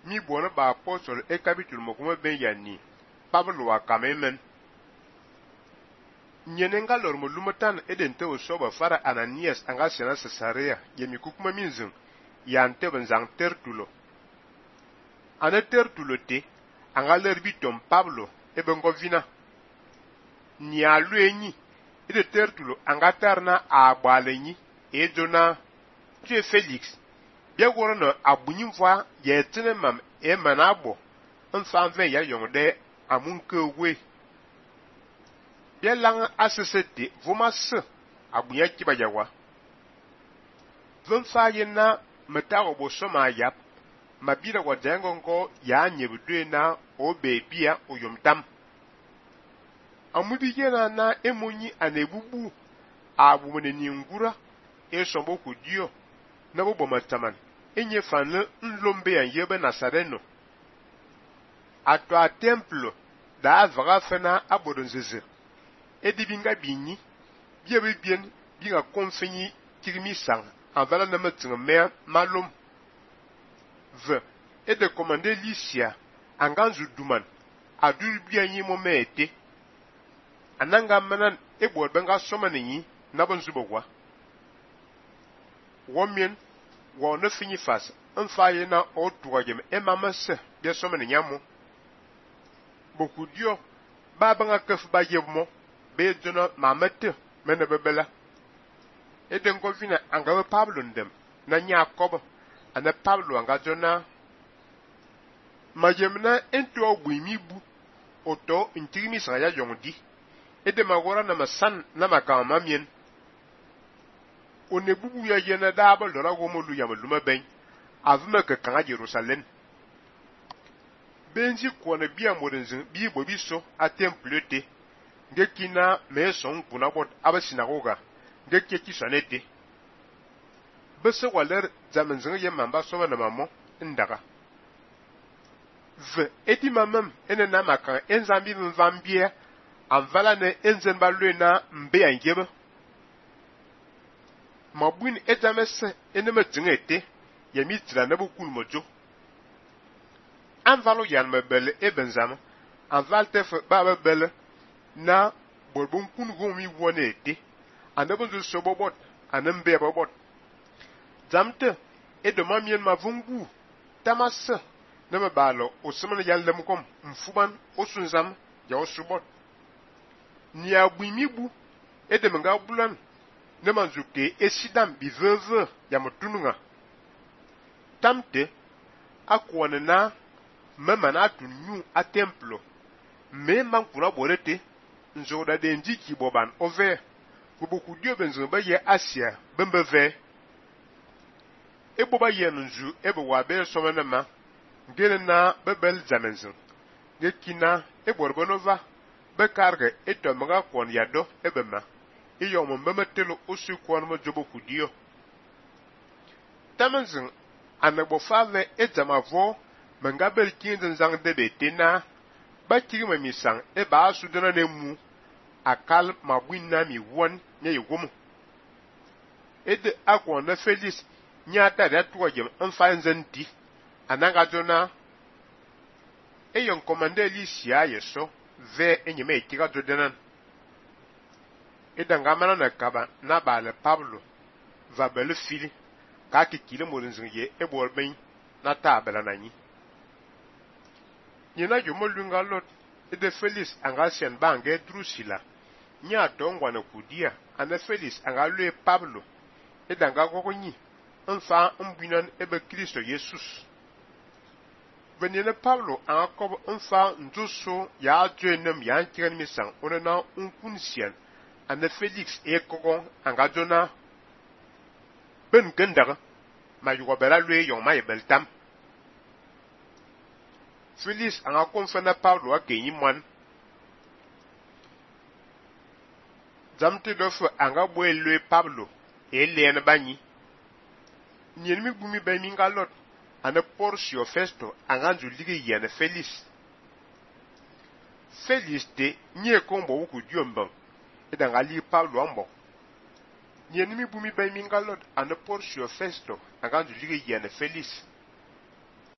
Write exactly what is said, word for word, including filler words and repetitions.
mi bona ba apostol e capítulo mo kuma ben yani Pablo wa kamemen nyenenga lor mo lumatan eden te osoba fara Ananias anga sena Caesarea yemi kukuma minzin yante benzang Tertulo ana Tertulo te anga lerbi tom Pablo e bengo vina ni alu enyi ede Tertulo anga tarna a agbalenyi e dona tu Felix bia woro no abunyim fa ye tene mam e manabo nfa ven ya yongde amunke we bia lang asesete vomas abunya kiba yawa vun fa yena metago bo soma yap mabira wa dengo ngo ya nyebudwe na o bebia oyomtam amubi yena na emonyi anebubu abumene ningura e sombo kudio na bo bomataman enye fanle nlombe ya yebe Nazareno ato a templo da avaga fena abodonzeze edibinga binyi biebe bien binga konfenyi tirimi sang avala na matinga malum v et de commander Lycia anganzu duman adur bianyi mo mete ananga manan ebo benga somanyi na bonzubogwa womien wo ne fini fas enfaye na otuagem emamase bia somanyi amo boku dio babanga kef ba yebmo be dona mamete mena bebela eden ko vina anga Pablo ndem na Jacob ana Pablo anga dona majemna ento ogwimibu oto intirimi sa ya yongdi ede magora na masan na makama mien onebubu ya yena daba lora gomolu ya maluma ben avuma ke kanga Jerusalem benji kona bia modenzin bi bobiso a temple te ngekina meson kuna bot aba sinagoga ngeke kisonete bese waler zamenzin ye mamba soma na mamo ndaga v eti mamam ene na maka enzambi mvambie anvala ne enzen balwena mbe angebe mabwin ezamese ene matingete yemi tira na bokul mojo anvalo yan mebele ebenzama anvalte fe baba bele na borbon kun gomi wonete anabonzo sobobot anembe bobot zamte edoma mien mavungu tamasa na mabalo osumana yallem kom mfuban osunzam ya osubot ni abuimibu edemenga bulan ne manzuke esidam biveve ya mutununga tamte akwane na mema na tunyu a templo me mankura borete nzoda denji ki boban ove kubuku dio benzo ba ye Asia bembeve ebo ba ye nzu ebo wa be somana ma ngene na bebel zamenzo gekina eborbonova be karge eto maga kon yado ebema iyo mo memetelo osu kon mo jobo kudio tamenzin anagbo fave etamavo mangabel kinzen zang de betena ba kirima misang e ba sudana nemu akal mabwinna mi won nye yugum ede akon na Felix nyata da tuwajem enfanzenti ananga jona eyon komande Lycia yeso ve enyeme ikiga jodenan edanga mana na kaba na bale Pablo va bele fili ka kikile morinzinge eborben na tabela nanyi nyina jomolunga lot ede Felix anga sien bange Drusilla nya dongwa na kudia ana Felix anga lue Pablo edanga gogonyi enfa mbinan ebe Kristo Jesus venene Pablo anga kob enfa nduso ya jenem ya kiran misang onena unkunsian ana Felix e kogon anga jona ben gendaga ma yugo bela lue yon ma yebeltam Felix anga konfana Pablo a kenyi mwan zamte dofu anga boe lue Pablo e lene banyi nyenmi bumi be minga lot ana Porcio Festo anga nzuligi yene Felix Felix te nye kombo wuku diomban edanga li Pablo ambo nyenmi bumi be minga lot ana Porcio Festo anga nzuligi yene Felix